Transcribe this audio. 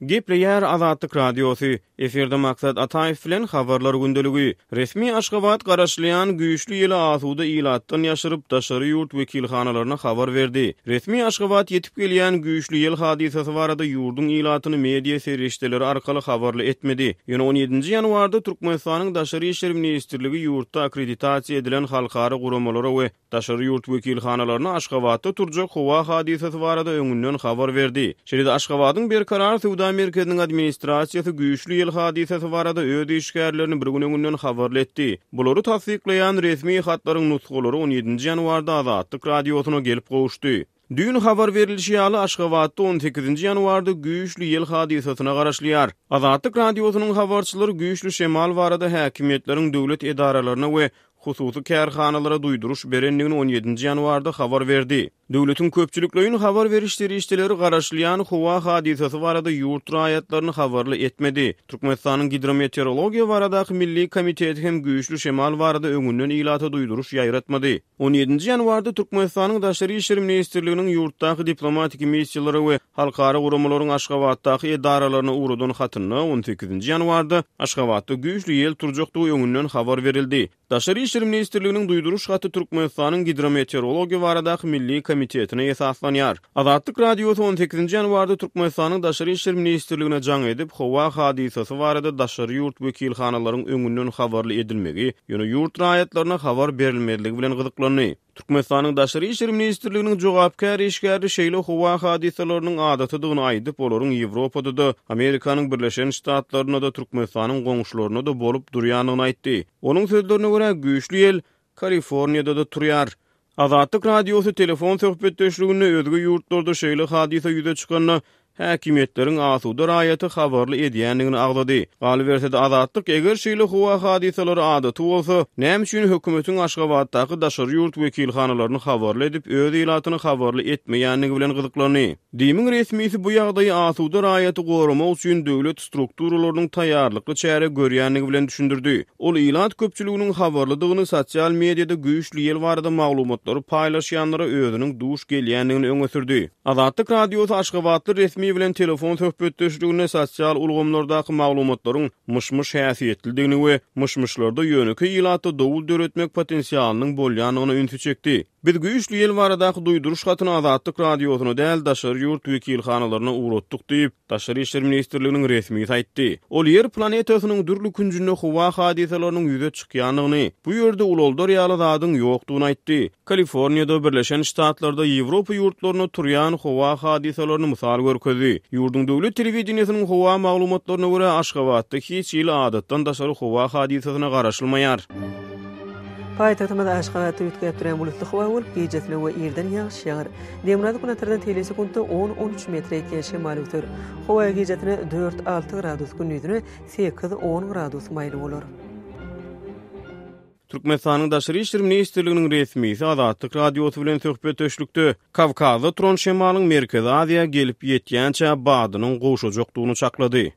Gepleýär Azatlyk Radiosy, Efirde Maksat Ataýew bilen Habarlar gündeligi. Resmi Aşgabat garaşylýan güýçli ýeli asuda ilatdan ýaşyryp, daşary ýurt wekilhanalaryna habar berdi. Resmi Aşgabat ýetip gelýän güýçli ýel hadysasy barada ýurduň ilatyny media serişdeleri arkaly habarly etmedi. Ýöne on ýedinji ýanwarda Türkmenistanyň Daşary işler ministrligi ýurtda akkreditasiýa edilen halkara guramalara we Daşary ýurt wekilhanalaryna Aşgabatda turjak howa hadysasy barada öňünden habar berdi. Şeýle-de Aşgabadyň Berkarar söwda merkeziniň administrasiýasy güýçli ýel hadysasy barada öz işgärlerini bir gün öňünden habarly etdi. Bulary tassyklaýan resmi hatlaryň nusgalary on ýedinji ýanwarda Azatlyk Radiosyna gelip gowuşdy. Düýn habar berlişi ýaly, Aşgabatda on sekizinji ýanwarda güýçli ýel hadysasyna garaşylýar. Azatlyk Radiosynyň habarçylary güýçli şemal barada häkimiýetleriň döwlet edaralaryna we hususy kärhanalara duýduryş berendigini on ýedinji ýanwarda habar berdi. Döwletiň köpçülikleýin habar beriş serişdeleri garaşylýan howa hadysasy barada ýurt raýatlaryny habarly etmedi. Türkmenistanyň Gidrometeorologiýa baradaky milli komiteti hem güýçli şemal barada öňünden ilata duýduryş ýaýratmady. On ýedinji ýanwarda Türkmenistanyň Daşary işler ministrliginiň ýurtdaky diplomatiki missiýalara we halkara guramalaryň Aşgabatdaky edaralaryna ugradan hatynda on sekizinji ýanwarda Aşgabatda güýçli ýel turjakdygy öňünden habar berildi. Daşary işler ministrliginiň duýduryş haty Türkmenistanyň Gidrometeorologiýa baradaky milli komitetine esaslanýar. Azatlyk Radiosy on sekizinji ýanwarda Türkmenistanyň Daşary işler ministrligine jaň edip, howa hadysasy barada daşary ýurt wekilhanalaryň öňünden habarly edilmegi, ýöne ýurt raýatlaryna habar berilmezligi bilen gyzyklandy. Türkmenistanyň Daşary işler ministrliginiň jogapkär işgäri şeýle howa hadysalarynyň adatydygyny aýdyp, olaryň Ýewropada-da, Amerikanyň Birleşen Ştatlarynda-da, Türkmenistanyň goňşularynda-da bolup durýandygyny aýtdy. Onuň sözlerine görä, güýçli ýel Kaliforniýada-da turýar. Azatlyk Radiosy telefon söhbetdeşliginde özge ýurtlarda şeýle hadysa ýüze çykanda, häkimiýetleriň asuda raýaty habarly edýändigini agzady. Galyberse-de, Azatlyk eger şeýle howa hadysalary adaty bolsa, näme üçin hökümetiň Aşgabatdaky daşary ýurt wekilhanalaryny habarly edip, öz ilatyny habarly etmeýändigi bilen gyzyklandy. DIM-iň resmisi bu ýagdaýy asuda raýaty goramak üçin döwlet strukturalarynyň taýýarlykly çäre görýändigi bilen düşündirdi. Ol ilat köpçüliginiň habarlydygyny, sosial mediada güýçli ýel barada maglumatlary paýlaşýanlara özüniň duş gelýändigini öňe sürdi. Azatlyk Radiosy aşgabatly resmi bilen telefon söhbetdeşliginde sosial ulgamlardaky maglumatlaryň myş-myş häsiýetlidigini we myş-myşlarda ýönekeý ilatda dowul döretmek potensialynyň bolýandygyna ünsi çekdi. Biz güýçli ýel baradaky duýduryş hatyny Azatlyk Radiosyna däl, daşary ýurt wekilhanalaryna ugratdyk diýip, Daşary işler ministrliginiň resmisi aýtdy. Ol Ýer planetasynyň dürli künjünde howa hadysalarynyň ýüze çykýandygyny, bu ýerde ulaldar ýaly zadyň ýokdugyny aýtdy. Kaliforniýada, Birleşen Ştatlarda, Ýewropa ýurtlarynda turýan howa hadysalaryny mysal görkezdi. Ýurduň döwlet telewideniýesiniň howa maglumatlaryna görä, Aşgabatda hiç hili adatdan daşary howa hadysasyna garaşylmaýar. Paýtagtymyz Aşgabatda üýtgäp durýan bulutly howa bolup, gijesine we irden ýagyş ýagar. Demirgazyk günortadan tegelek sekuntda on, on üç metre ýetýän şemal öwser. Howa gijesine dört, alty gradus, gündizine sekiz, on gradus maýyl bolar. Türkmenistanyň Daşary işler ministrliginiň resmisi Azatlyk Radiosy bilen söhbetdeşlikde Kawkazda turan şemalyň Merkezi Aziýa gelip ýetýänçä badynyň gowşajakdygyny çaklady.